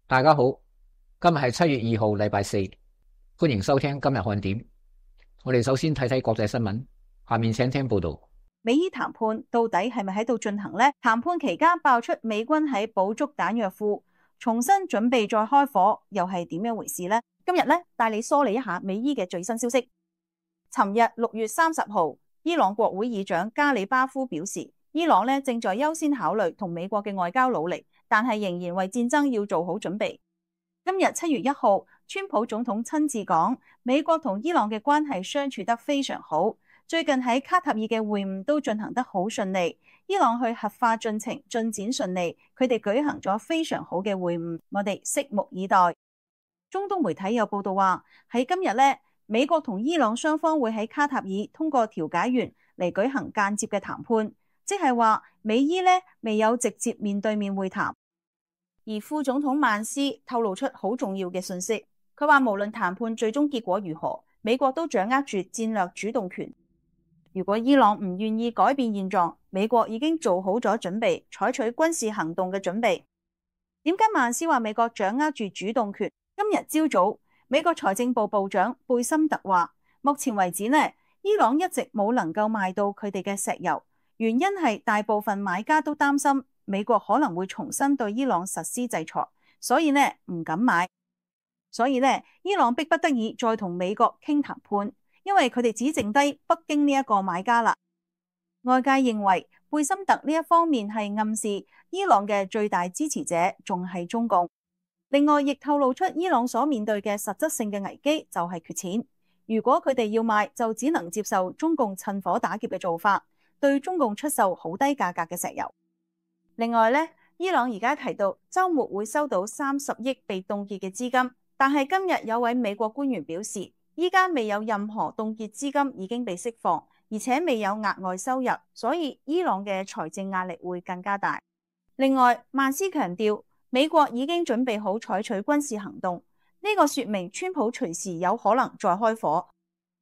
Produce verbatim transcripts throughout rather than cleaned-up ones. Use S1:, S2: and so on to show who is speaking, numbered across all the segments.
S1: 大家好，今日係七月二號，禮拜四，歡迎收聽今日看點。我哋首先睇睇國際新聞，下面請聽報道。
S2: 美伊談判到底係咪喺度進行呢？談判期間爆出美軍喺補足彈藥庫，重新準備再開火，又係點樣回事呢？今日咧帶你梳理一下美伊嘅最新消息。尋日六月三十號，伊朗國會議長加里巴夫表示，伊朗咧正在優先考慮同美國嘅外交努力，但係仍然為戰爭要做好準備。今日七月一號，川普總統親自講，美國同伊朗嘅關係相處得非常好。最近喺卡塔爾嘅會晤都進行得好順利，伊朗去核化進程進展順利，佢哋舉行咗非常好嘅會晤，我哋拭目以待。中東媒體有報道話，喺今日咧，美國同伊朗雙方會喺卡塔爾通過調解員嚟舉行間接嘅談判，即係話美伊咧未有直接面對面會談。而副總統曼斯透露出好重要嘅信息，佢話無論談判最終結果如何，美國都掌握住戰略主動權。如果伊朗唔願意改變現狀，美國已經做好咗準備，採取軍事行動嘅準備。點解曼斯話美國掌握住主動權？今日朝早，美國財政部部長貝森特話，目前為止呢，伊朗一直冇能夠賣到佢哋嘅石油，原因係大部分買家都擔心美國可能會重新對伊朗實施制裁，所以呢唔敢買。所以呢，伊朗迫不得已再同美國傾談判。因為佢哋只剩低北京呢一個買家啦。外界認為貝森特呢一方面係暗示伊朗嘅最大支持者仲係中共。另外亦透露出伊朗所面對嘅實質性嘅危機就係缺錢。如果佢哋要賣，就只能接受中共趁火打劫嘅做法，對中共出售好低價格嘅石油。另外呢，伊朗而家提到週末會收到三十億被凍結嘅資金，但係今日有位美國官員表示，依家未有任何凍結資金已經被釋放，而且未有額外收入，所以伊朗嘅財政壓力會更加大。另外，曼斯強調美國已經準備好採取軍事行動，呢個說明川普隨時有可能再開火。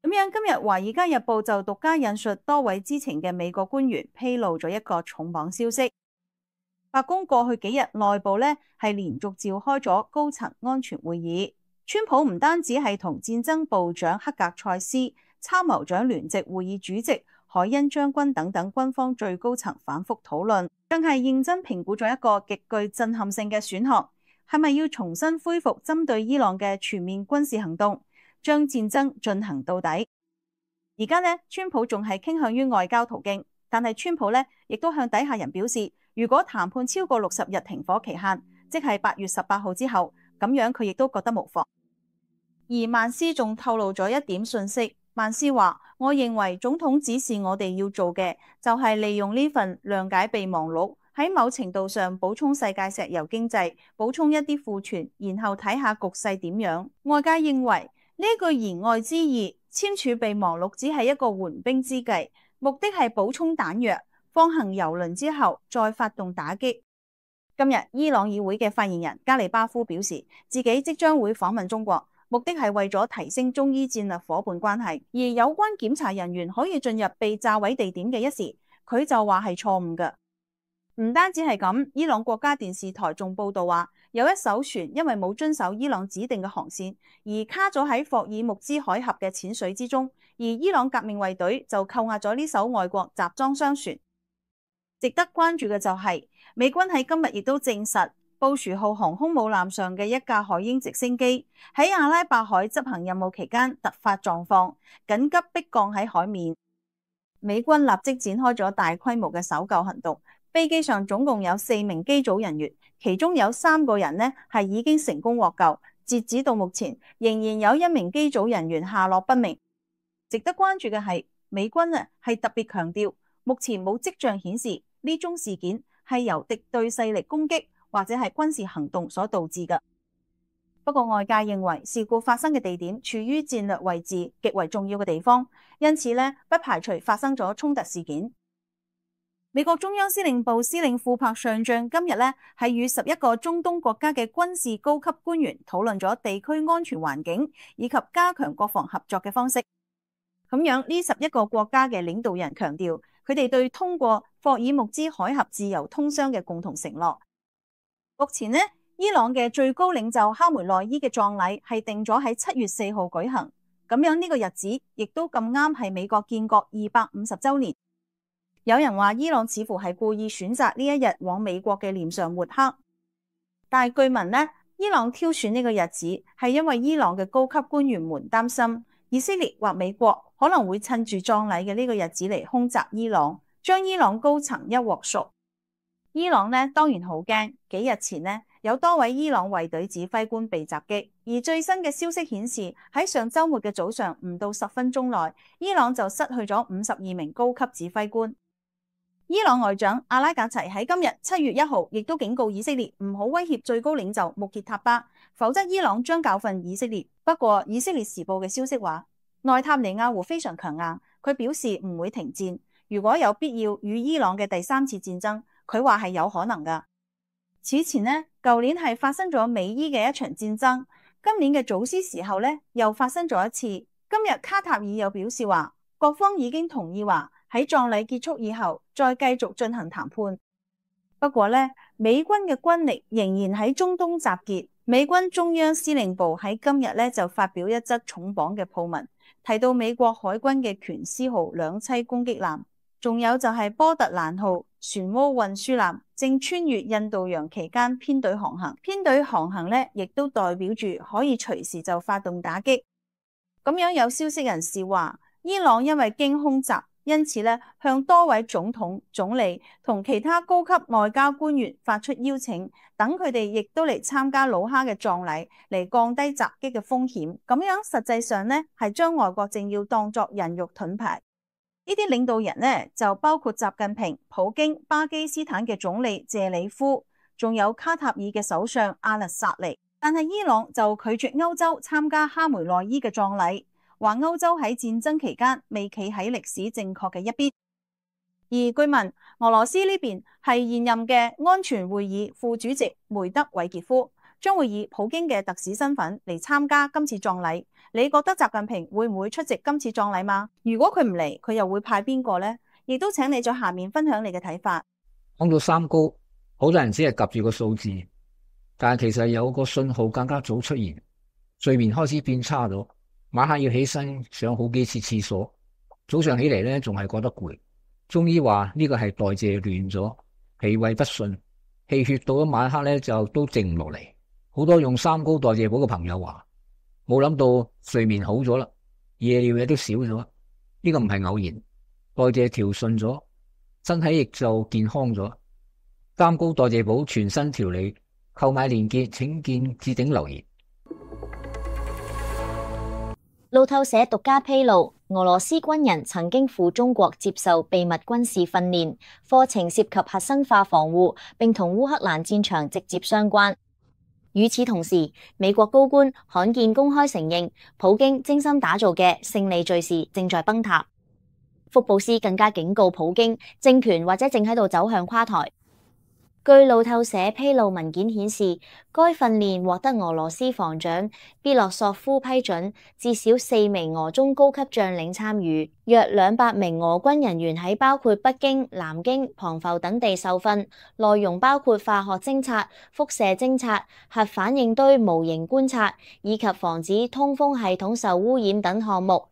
S2: 咁樣今日《華爾街日報》就獨家引述多位知情嘅美國官員披露咗一個重磅消息。白宮過去幾日內部呢係連續召開咗高層安全會議。川普唔單止係同戰爭部長克格塞斯、參謀長聯席會議主席海恩將軍等等軍方最高層反覆討論，更係認真評估咗一個極具震撼性嘅選項，係咪要重新恢復針對伊朗嘅全面軍事行動，將戰爭進行到底。而家呢，川普仲係傾向於外交途徑，但係川普呢亦都向底下人表示，如果談判超過六十日停火期限，即係八月十八號之後，咁樣佢亦都覺得無妨。而曼斯仲透露咗一點信息，曼斯話：我認為總統指示我哋要做嘅就係利用呢份諒解備忘錄，喺某程度上補充世界石油經濟，補充一啲庫存，然後睇下局勢點樣。外界認為呢句言外之意，簽署備忘錄只係一個緩兵之計，目的係補充彈藥，放行油輪之後再發動打擊。今日伊朗議會嘅發言人加里巴夫表示，自己即將會訪問中國。目的係為咗提升中伊戰略夥伴關係，而有關檢查人員可以進入被炸毀地點嘅一時，佢就話係錯誤嘅。唔單止係咁，伊朗國家電視台仲報道話，有一艘船因為冇遵守伊朗指定嘅航線，而卡咗喺霍爾木茲海峽嘅淺水之中，而伊朗革命衛隊就扣押咗呢艘外國集裝箱船。值得關注嘅就係、是，美軍喺今日亦都證實，布殊號航空母艦上嘅一架海鷹直升機喺阿拉伯海執行任務期間突發狀況，緊急迫降喺海面。美軍立即展開咗大規模嘅搜救行動，飛機上總共有四名機組人員，其中有三個人呢係已經成功獲救，截止到目前仍然有一名機組人員下落不明。值得關注嘅係，美軍啊係特別強調，目前冇跡象顯示呢宗事件係由敵對勢力攻擊或者係軍事行動所導致嘅。不過外界認為事故發生嘅地點處於戰略位置極為重要嘅地方，因此呢不排除發生咗衝突事件。美國中央司令部司令庫珀上將今日呢係與十一個中東國家嘅軍事高級官員討論咗地區安全環境以及加強國防合作嘅方式。咁樣呢十一個國家嘅領導人強調，佢哋對通過霍爾木茲海峽自由通商嘅共同承諾。目前呢，伊朗嘅最高領袖哈梅內伊嘅葬禮係定咗喺七月四號舉行，咁樣呢個日子亦都咁啱係美國建國二百五十週年。有人話伊朗似乎係故意選擇呢一日往美國嘅臉上抹黑，但係據聞呢，伊朗挑選呢個日子係因為伊朗嘅高級官員們擔心以色列或美國可能會趁住葬禮嘅呢個日子嚟空襲伊朗，將伊朗高層一鑊熟。伊朗呢當然好驚，幾日前呢有多位伊朗衛隊指揮官被襲擊，而最新嘅消息顯示喺上週末嘅早上唔到十分鐘內，伊朗就失去咗五十二名高級指揮官。伊朗外長阿拉格齊喺今日七月一號亦都警告以色列唔好威脅最高領袖穆傑塔巴，否則伊朗將教訓以色列。不過以色列時報嘅消息話，內塔尼亞胡非常強硬，佢表示唔會停戰，如果有必要與伊朗嘅第三次戰爭，佢話係有可能㗎。此前呢，舊年係發生咗美伊嘅一場戰爭，今年嘅祖斯時候呢又發生咗一次。今日卡塔爾又表示話，各方已經同意話喺葬禮結束以後再繼續進行談判。不過呢，美軍嘅軍力仍然喺中東集結。美軍中央司令部喺今日呢就發表一則重磅嘅報文，提到美國海軍嘅權斯號兩棲攻擊艦，仲有就係波特蘭號船塢運輸艦正穿越印度洋期間編隊航行。編隊航行呢亦都代表住可以隨時就發動打擊。咁樣有消息人士話，伊朗因為驚空襲，因此咧向多位總統、總理同其他高級外交官員發出邀請，等佢哋亦都嚟參加魯哈嘅葬禮，嚟降低襲擊嘅風險。咁樣實際上呢係將外國政要當作人肉盾牌。呢啲領導人呢就包括習近平、普京、巴基斯坦嘅總理謝里夫，仲有卡塔爾嘅首相阿勒薩尼。但係伊朗就拒絕歐洲參加哈梅內伊嘅葬禮，話歐洲喺戰爭期間未企喺歷史正確嘅一邊。而據聞俄羅斯呢邊係現任嘅安全會議副主席梅德韋傑夫，將會以普京嘅特使身份嚟參加今次葬禮。你覺得習近平會唔會出席今次葬禮嗎？如果佢唔嚟，佢又會派邊個呢？亦都請你在下面分享你嘅睇法。
S1: 講到三高，好多人只係夾住個數字，但係其實有個信號更加早出現，睡眠開始變差咗，晚黑要起身上好幾次廁所，早上起嚟咧仲係覺得攰。中醫話呢個係代謝亂咗，脾胃不順，氣血到咗晚黑咧就都靜唔落嚟。好多用三高代謝補嘅朋友話，冇諗到睡眠好咗啦，夜尿嘢都少咗，呢個唔係偶然，代謝調順咗，身體亦就健康咗。三高代謝補全新調理，購買鏈接請見置頂留言。
S3: 路透社獨家披露，俄羅斯軍人曾經赴中國接受秘密軍事訓練，課程涉及核生化防護，並同烏克蘭戰場直接相關。與此同時，美國高官罕見公開承認，普京精心打造嘅勝利敘事正在崩塌。福布斯更加警告普京，政權或者正喺度走向垮台。據路透社披露文件顯示，該訓練獲得俄羅斯防長別洛索夫批准，至少四名俄中高級將領參與，約兩百名俄軍人員喺包括北京、南京、龐浮等地受訓，內容包括化學偵察、輻射偵察、核反應堆模型觀察，以及防止通風系統受污染等項目。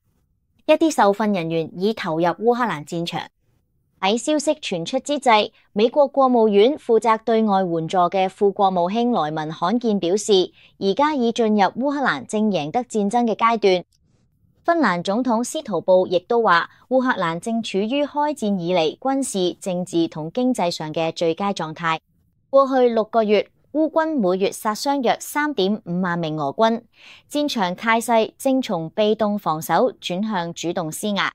S3: 一啲受訓人員已投入烏克蘭戰場。喺消息傳出之際，美國國務院負責對外援助嘅副國務卿萊文罕見表示，而家已進入烏克蘭正贏得戰爭嘅階段。芬蘭總統司徒布亦都話，烏克蘭正處於開戰以嚟軍事、政治同經濟上嘅最佳狀態。過去六個月，烏軍每月殺傷約三點五萬名俄軍，戰場態勢正從被動防守轉向主動施壓。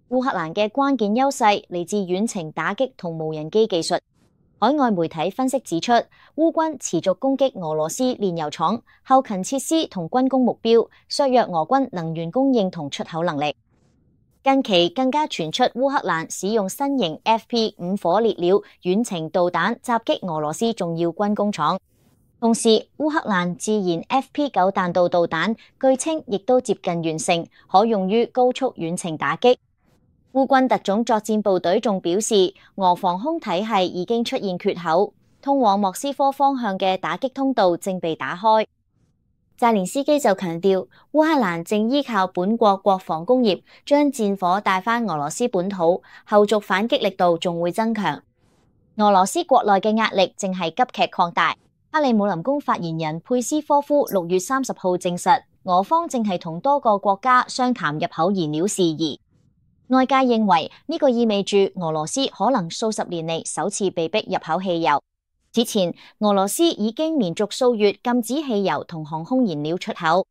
S3: 烏克蘭嘅關鍵優勢嚟自遠程打擊同無人機技術。海外媒體分析指出，烏軍持續攻擊俄羅斯煉油廠、後勤設施同軍工目標，削弱俄軍能源供應同出口能力。近期更加傳出烏克蘭使用新型 F P 五火烈鳥遠程導彈襲擊俄羅斯重要軍工廠。同時，烏克蘭自研 F P 九彈道導彈，據稱亦都接近完成，可用於高速遠程打擊。烏軍特種作戰部隊仲表示，俄防空體系已經出現缺口，通往莫斯科方向嘅打擊通道正被打開。澤連斯基就強調，烏克蘭正依靠本國國防工業將戰火帶返俄羅斯本土，後續反擊力度仲會增強。俄羅斯國內嘅壓力正係急劇擴大。克里姆林宮發言人佩斯科夫六月三十號證實，俄方正係同多個國家商談入口燃料事宜。外界認為呢個意味住俄羅斯可能數十年嚟首次被逼入口汽油。此前，俄羅斯已經連續數月禁止汽油同航空燃料出口。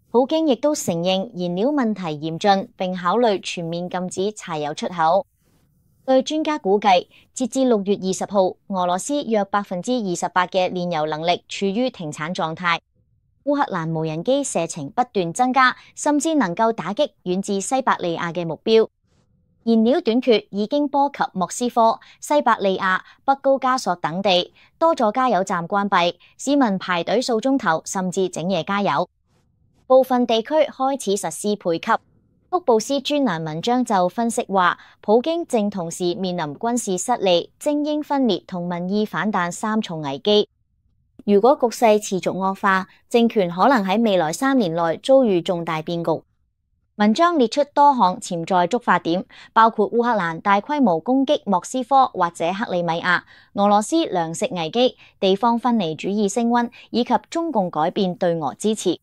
S3: 普京亦都承認燃料問題嚴峻，並考慮全面禁止柴油出口。據專家估計，截至六月二十號，俄羅斯約百分之二十八嘅煉油能力處於停產狀態。烏克蘭無人機射程不斷增加，甚至能夠打擊遠至西伯利亞嘅目標。燃料短缺已經波及莫斯科、西伯利亞、北高加索等地，多座加油站關閉，市民排隊數鐘頭，甚至整夜加油。部分地區開始實施配給。福布斯專欄文章就分析話，普京正同時面臨軍事失利、精英分裂同民意反彈三重危機。如果局勢持續惡化，政權可能喺未來三年內遭遇重大變局。文章列出多項潛在觸發點，包括烏克蘭大規模攻擊莫斯科或者克里米亞、俄羅斯糧食危機、地方分離主義升溫，以及中共改變對俄支持。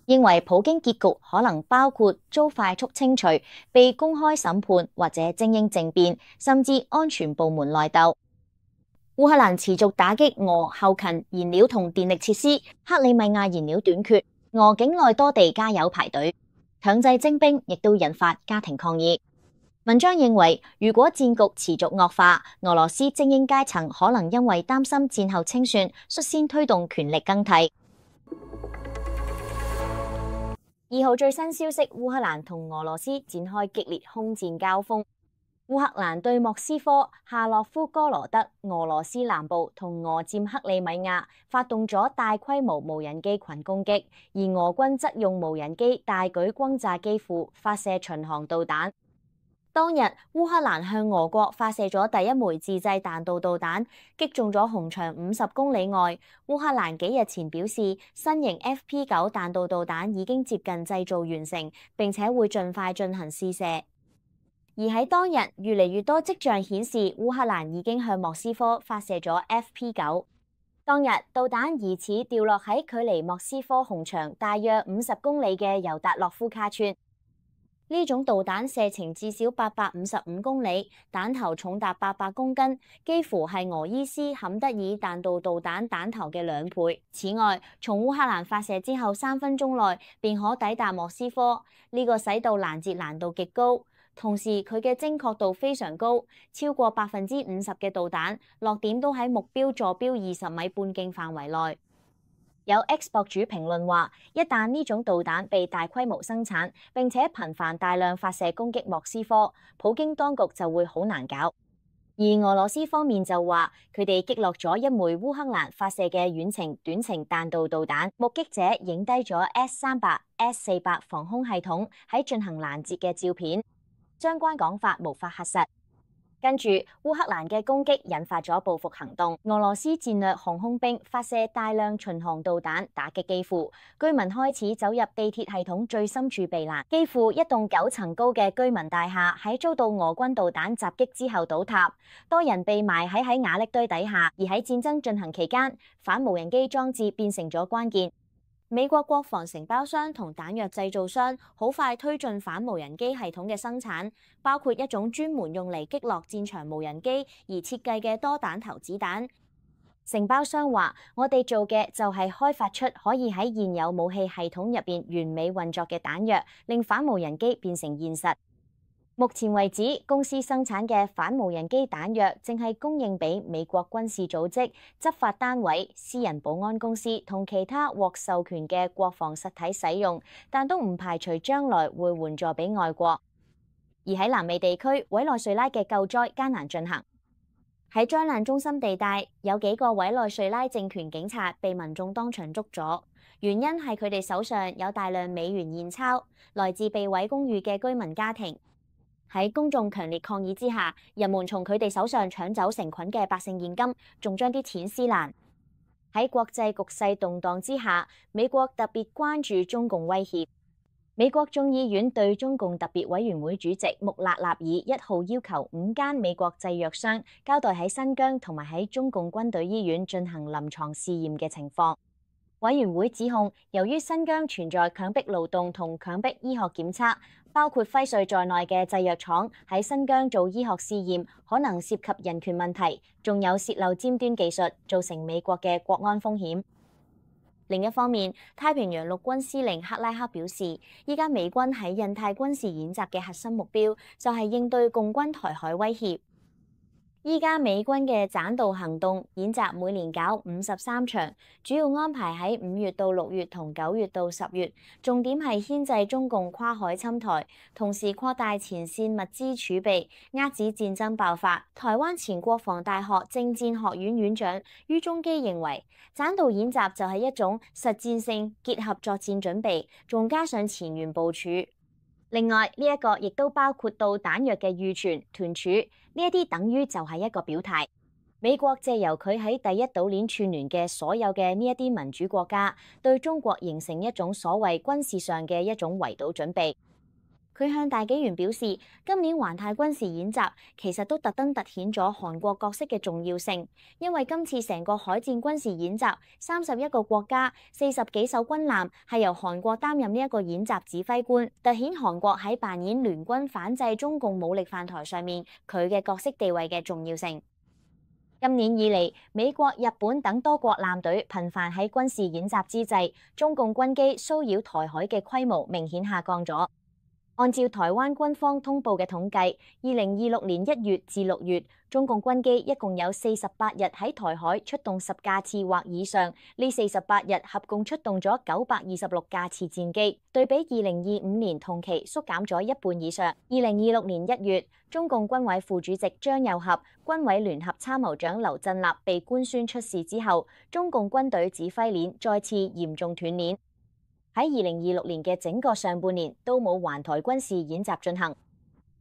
S3: 認為普京結局可能包括遭快速清除、被公開審判或者精英政變，甚至安全部門內鬥。烏克蘭持續打擊俄後勤燃料同電力設施，克里米亞燃料短缺，俄境內多地加油排隊。強制徵兵亦都引發家庭抗議。文章認為，如果戰局持續惡化，俄羅斯精英階層可能因為擔心戰後清算，率先推動權力更替。二號最新消息，烏克蘭同俄羅斯展開激烈空戰交鋒。烏克蘭對莫斯科、夏洛夫哥羅德、俄羅斯南部同俄佔克里米亞發動咗大規模無人機群攻擊，而俄軍則用無人機大舉轟炸機庫，發射巡航導彈。當日，烏克蘭向俄國發射咗第一枚自製彈道導彈，擊中咗紅場五十公里外。烏克蘭幾日前表示，新型 F P 九彈道導彈已經接近製造完成，並且會盡快進行試射。而喺當日，越嚟越多跡象顯示烏克蘭已經向莫斯科發射咗 F P 九。當日，導彈疑似掉落喺距離莫斯科紅場大約五十公里嘅尤達洛夫卡村。呢種導彈射程至少八百五十五公里，彈頭重達八百公斤，幾乎係俄伊斯坎德爾彈道導彈彈頭嘅兩倍。此外，從烏克蘭發射之後三分鐘內便可抵達莫斯科，呢、這個使到攔截難度極高。同時，佢嘅精確度非常高，超過百分之五十嘅導彈落點都喺目標坐標二十米半徑範圍內。有 X 博主評論話，一旦呢種導彈被大規模生產，並且頻繁大量發射攻擊莫斯科，普京當局就會好難搞。而俄羅斯方面就話，佢哋擊落咗一枚烏克蘭發射嘅遠程短程彈道導彈，目擊者影低咗 S 三百、S 四百防空系統喺進行攔截嘅照片。相關講法無法核實。跟住，烏克蘭嘅攻擊引發咗報復行動，俄羅斯戰略航空兵發射大量巡航導彈打擊機庫，居民開始走入地鐵系統最深處避難。機庫一棟九層高嘅居民大廈喺遭到俄軍導彈襲擊之後倒塌，多人被埋喺喺瓦礫堆底下。而喺戰爭進行期間，反無人機裝置變成咗關鍵。美國國防承包商同彈藥製造商好快推進反無人機系統嘅生產，包括一種專門用嚟擊落戰場無人機而設計嘅多彈頭子彈。承包商話：我哋做嘅就係開發出可以喺現有武器系統入邊完美運作嘅彈藥，令反無人機變成現實。目前為止，公司生產嘅反無人機彈藥正係供應俾美國軍事組織、執法單位、私人保安公司同其他獲授權嘅國防實體使用，但都唔排除將來會援助俾外國。而喺南美地區，委內瑞拉嘅救災艱難進行。喺災難中心地帶，有幾個委內瑞拉政權警察被民眾當場捉咗，原因係佢哋手上有大量美元現鈔，來自被毀公寓嘅居民家庭。喺公眾強烈抗議之下，人們從佢哋手上搶走成捆嘅百姓現金，仲將啲錢撕爛。喺國際局勢動盪之下，美國特別關注中共威脅。美國眾議院對中共特別委員會主席穆勒納爾一號要求五間美國製藥商交代喺新疆同埋喺中共軍隊醫院進行臨床試驗嘅情況。委員會指控，由於新疆存在強迫勞動同強迫醫學檢測，包括輝瑞在內嘅製藥廠喺新疆做醫學試驗，可能涉及人權問題，仲有洩漏尖端技術，造成美國嘅國安風險。另一方面，太平洋陸軍司令克拉克表示，依家美軍喺印太軍事演習嘅核心目標就係應對共軍台海威脅。依家美軍嘅棧道行動演習每年搞五十三場，主要安排喺五月到六月同九月到十月，重點係牽制中共跨海侵台，同時擴大前線物資儲備，遏止戰爭爆發。台灣前國防大學政戰學院院長于中基認為，棧道演習就係一種實戰性結合作戰準備，仲加上前沿部署。另外呢一個亦都包括到彈藥嘅預存、屯儲，呢一啲等於就係一個表態。美國借由佢喺第一島鏈串聯嘅所有嘅呢一啲民主國家，對中國形成一種所謂軍事上嘅一種圍堵準備。佢向大紀元表示，今年環太軍事演習其實都特登突顯咗韓國角色嘅重要性，因為今次成個海戰軍事演習，三十一個國家、四十幾艘軍艦係由韓國擔任呢一個演習指揮官，突顯韓國喺扮演聯軍反制中共武力犯台上面佢嘅角色地位嘅重要性。今年以嚟，美國、日本等多國艦隊頻繁喺軍事演習之際，中共軍機騷擾台海嘅規模明顯下降咗。按照台灣軍方通報嘅統計，二零二六年一月至六月，中共軍機一共有四十八日喺台海出動十架次或以上，呢四十八日合共出動咗九百二十六架次戰機，對比二零二五年同期縮減咗一半以上。二零二六年一月，中共軍委副主席張又俠、軍委聯合參謀長劉振立被官宣出事之後，中共軍隊指揮鏈再次嚴重斷鏈。喺二零二六年嘅整個上半年都冇環台軍事演習進行。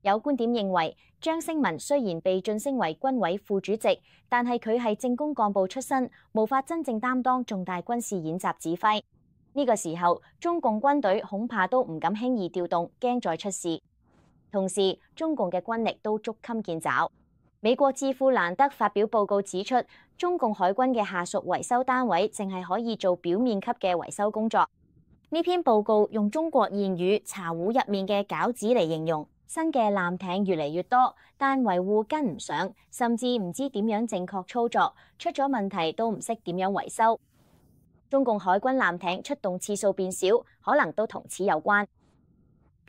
S3: 有觀點認為，張升文雖然被晉升為軍委副主席，但係佢係政工幹部出身，無法真正擔當重大軍事演習指揮。呢個時候，中共軍隊恐怕都唔敢輕易調動，驚再出事。同時，中共嘅軍力都捉襟見肘。美國智庫蘭德發表報告指出，中共海軍嘅下屬維修單位淨係可以做表面級嘅維修工作。呢篇報告用中國諺語茶壺入面嘅餃子嚟形容，新嘅艦艇越嚟越多，但維護跟唔上，甚至唔知點樣正確操作，出咗問題都唔識點樣維修。中共海軍艦艇出動次數變少，可能都同此有關。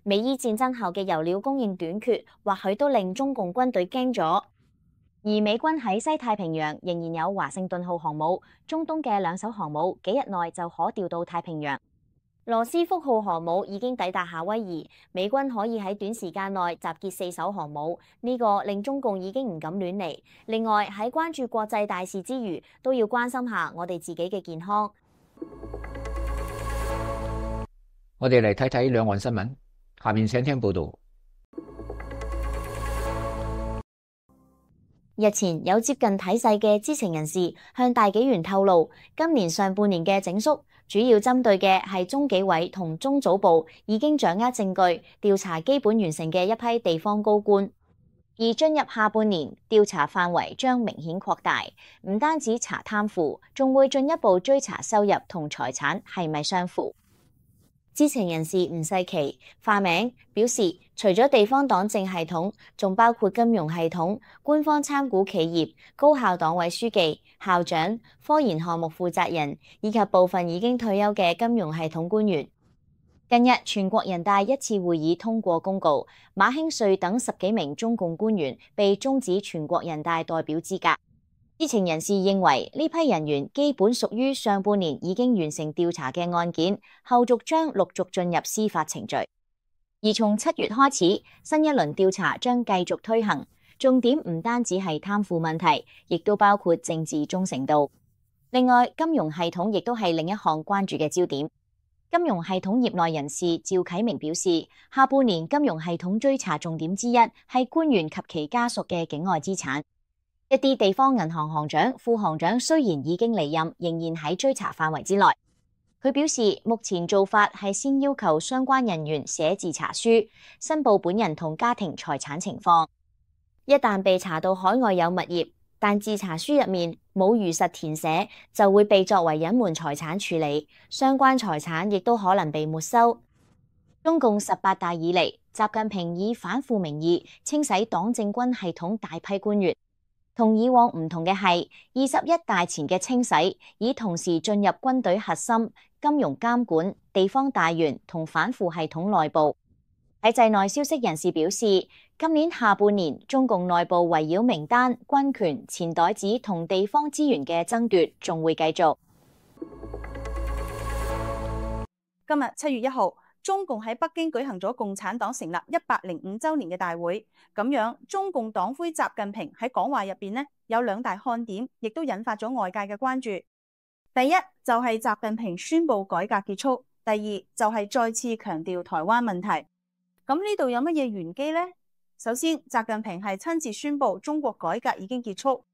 S3: 美伊戰爭後嘅油料供應短缺，或許都令中共軍隊驚咗。而美軍喺西太平洋仍然有華盛頓號航母，中東嘅兩艘航母幾日內就可調到太平洋。羅斯福號航母已經抵達夏威夷，美軍可以喺短時間內集結四艘航母，呢個令中共已經唔敢亂嚟。另外喺關注國際大事之餘，都要關心下我哋自己嘅健康。
S1: 我哋嚟睇睇兩岸新聞，下面請聽報道。
S3: 日前有接近體制嘅知情人士向大紀元透露，今年上半年嘅整肅主要針對嘅係中紀委同中組部已經掌握證據、調查基本完成嘅一批地方高官，而進入下半年，調查範圍將明顯擴大，唔單止查貪腐，仲會進一步追查收入同財產係咪相符。知情人士吳世琪化名表示，除咗地方黨政系統，仲包括金融系統、官方參股企業、高校黨委書記、校長、科研項目負責人以及部分已經退休嘅金融系統官員。近日，全國人大一次會議通過公告，馬興瑞等十幾名中共官員被終止全國人大代表資格。知情人士認為，呢批人員基本屬於上半年已經完成調查嘅案件，後續將陸續進入司法程序。而從七月開始，新一輪調查將繼續推行，重點唔單止係貪腐問題，亦都包括政治忠誠度。另外，金融系統亦都係另一項關注嘅焦點。金融系統業內人士趙啟明表示，下半年金融系統追查重點之一係官員及其家屬嘅境外資產。一啲地方銀行行長、副行長雖然已經離任，仍然喺追查範圍之內。佢表示，目前做法係先要求相關人員寫自查書，申報本人同家庭財產情況。一旦被查到海外有物業，但自查書入面冇如實填寫，就會被作為隱瞞財產處理，相關財產亦都可能被沒收。中共十八大以嚟，習近平以反腐名義清洗黨政軍系統大批官員。同以往唔同嘅係，二十一大前嘅清洗，以同時進入軍隊核心、金融監管、地方大員同反腐系統內部。喺制內消息人士表示，今年下半年中共內部圍繞名單、軍權、錢袋子同地方資源嘅爭奪仲會繼續。
S2: 今日七月一號，中共喺北京舉行咗共產黨成立一百零五週年嘅大會，咁樣中共黨魁習近平喺講話入邊呢有兩大看點，亦都引發咗外界嘅關注。第一就係習近平宣布改革結束，第二就係再次強調台灣問題。咁呢度有乜嘢玄機呢？首先，習近平係親自宣布中國改革已經結束。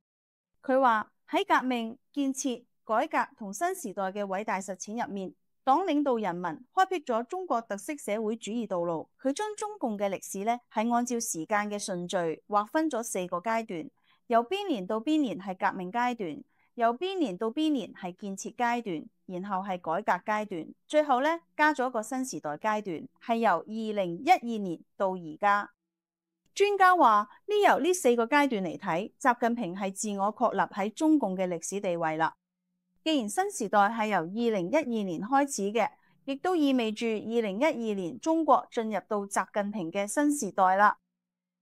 S2: 佢話喺革命、建設、改革同新時代嘅偉大實踐入面，黨領導人民開闢咗中國特色社會主義道路。佢將中共嘅歷史呢係按照時間嘅順序劃分咗四個階段，由邊年到邊年係革命階段，由邊年到邊年係建設階段，然後係改革階段，最後呢加咗個新時代階段，係由二零一二年到而家。專家話呢由呢四個階段嚟睇，習近平係自我確立喺中共嘅歷史地位啦。既然新時代係由二零一二年開始嘅，亦都意味住二零一二年中國進入到習近平嘅新時代啦。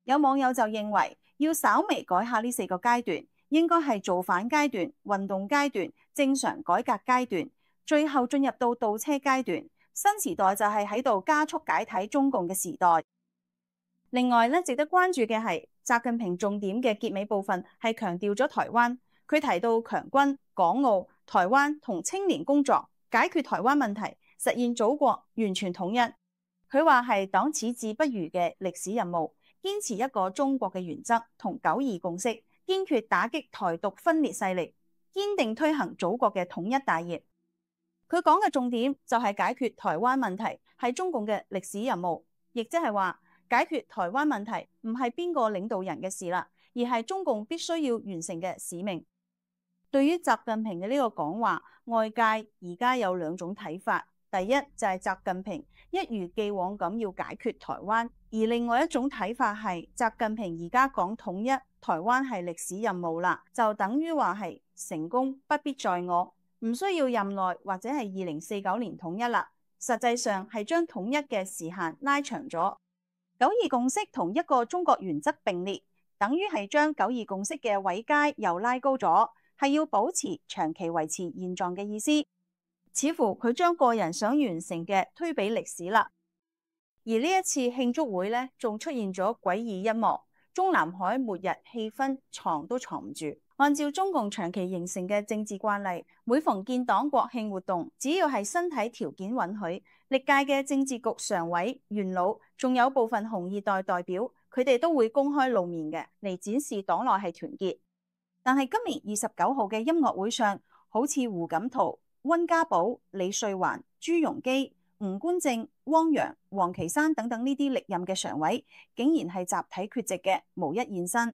S2: 有網友就認為要稍微改下呢四個階段，應該係造反階段、運動階段、正常改革階段，最後進入到倒車階段。新時代就係喺度加速解體中共嘅時代。另外咧，值得關注嘅係習近平重點嘅結尾部分係強調咗台灣。佢提到強軍、港澳、台灣同青年工作，解決台灣問題，實現祖國完全統一。佢話係黨矢志不渝嘅歷史任務，堅持一個中國嘅原則同九二共識，堅決打擊台獨分裂勢力，堅定推行祖國嘅統一大業。佢講嘅重點就係解決台灣問題係中共嘅歷史任務，亦即係話解決台灣問題唔係邊個領導人嘅事啦，而係中共必須要完成嘅使命。對於習近平嘅呢個講話，外界而家有兩種睇法。第一就係習近平一如既往咁要解決台灣，而另外一種睇法係習近平而家講統一台灣係歷史任務啦，就等於話係成功不必在我，唔需要任內或者係二零四九年統一啦。實際上係將統一嘅時限拉長咗。九二共識同一個中國原則並列，等於係將九二共識嘅位階又拉高咗。係要保持長期維持現狀嘅意思，似乎佢將個人想完成嘅推俾歷史啦。而呢一次慶祝會呢，仲出現咗詭異一幕，中南海末日氣氛藏都藏唔住。按照中共長期形成嘅政治慣例，每逢建黨國慶活動，只要係身體條件允許，歷屆嘅政治局常委、元老，仲有部分紅二代代表，佢哋都會公開露面嘅，嚟展示黨內係團結。但係今年二十九號嘅音樂會上，好似胡錦濤、溫家寶、李瑞環、朱鎔基、吳官正、汪洋、王岐山等等呢啲歷任嘅常委，竟然係集體缺席嘅，無一現身。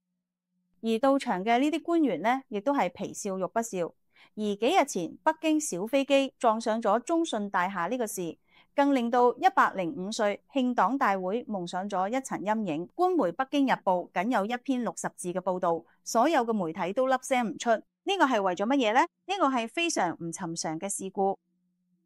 S2: 而到場嘅呢啲官員呢，亦都係皮笑肉不笑。而幾日前北京小飛機撞上咗中信大廈呢個事，更令到一百零五歲慶黨大會蒙上咗一層陰影。官媒《北京日報》僅有一篇六十字嘅報導，所有嘅媒體都粒聲唔出。呢個係為咗乜嘢呢？呢個係非常唔尋常嘅事故。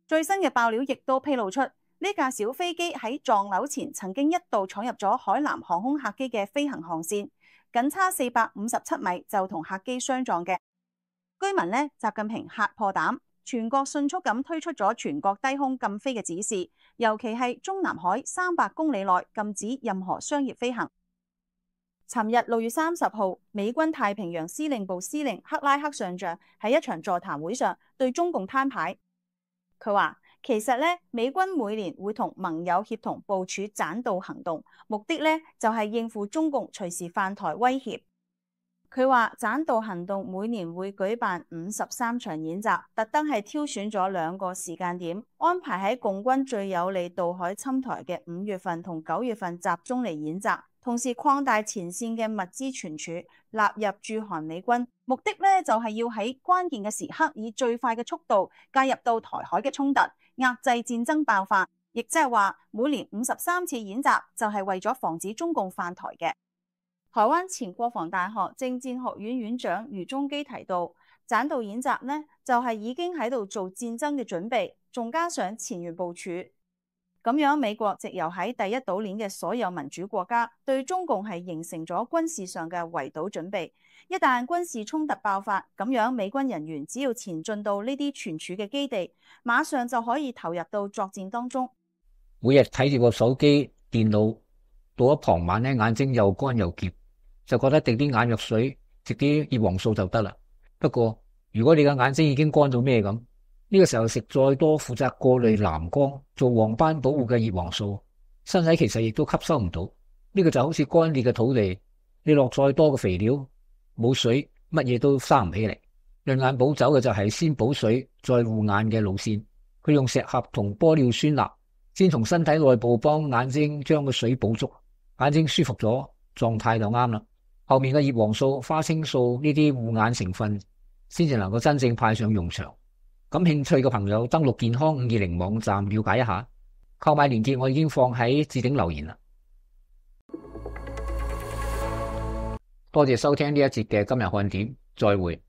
S2: 最新嘅爆料亦都披露出，呢架小飛機喺撞樓前曾經一度闖入咗海南航空客機嘅飛行航線，僅差四百五十七米就同客機相撞嘅。居民呢，習近平嚇破膽，全國迅速咁推出咗全國低空禁飛嘅指示，尤其係中南海三百公里內禁止任何商業飛行。尋日六月三十號，美軍太平洋司令部司令克拉克上將喺一場座談會上對中共攤牌，佢話其實咧，美軍每年會同盟友協同部署棧道行動，目的咧就係應付中共隨時犯台威脅。佢話棧道行動每年會舉辦五十三場演習，特登係挑選咗兩個時間點，安排喺共軍最有利渡海侵台嘅五月份同九月份集中嚟演習，同時擴大前線嘅物資存儲，納入駐韓美軍。目的咧就係要喺關鍵嘅時刻，以最快嘅速度介入到台海嘅衝突，壓制戰爭爆發。亦即係話，每年五十三次演習就係為咗防止中共犯台嘅。台灣前國防大學政戰學院院長余中基提到，棧道演習呢就係已經喺度做戰爭嘅準備，仲加上前沿部署。咁樣美國藉由喺第一島鏈嘅所有民主國家，對中共係形成咗軍事上嘅圍堵準備。一旦軍事衝突爆發，咁樣美軍人員只要前進到呢啲存儲嘅基地，馬上就可以投入到作戰當中。
S1: 每日睇住個手機、電腦，到咗傍晚咧，眼睛又乾又澀，就覺得滴啲眼藥水、食啲葉黃素就得啦。不過如果你嘅眼睛已經乾到咩咁，呢個時候食再多負責過濾藍光、做黃斑保護嘅葉黃素，身體其實亦都吸收唔到。呢個就好似乾裂嘅土地，你落再多嘅肥料，冇水，乜嘢都生唔起嚟。潤眼補走嘅就係先補水再護眼嘅路線，佢用石斛同玻尿酸鈉，先從身體內部幫眼睛將個水補足，眼睛舒服咗，狀態就啱啦。後面嘅葉黃素、花青素呢啲護眼成分，先至能夠真正派上用場。感興趣嘅朋友登錄健康五二零網站了解一下，購買鏈接我已經放喺置頂留言啦。多謝收聽呢一節嘅今日看點，再會。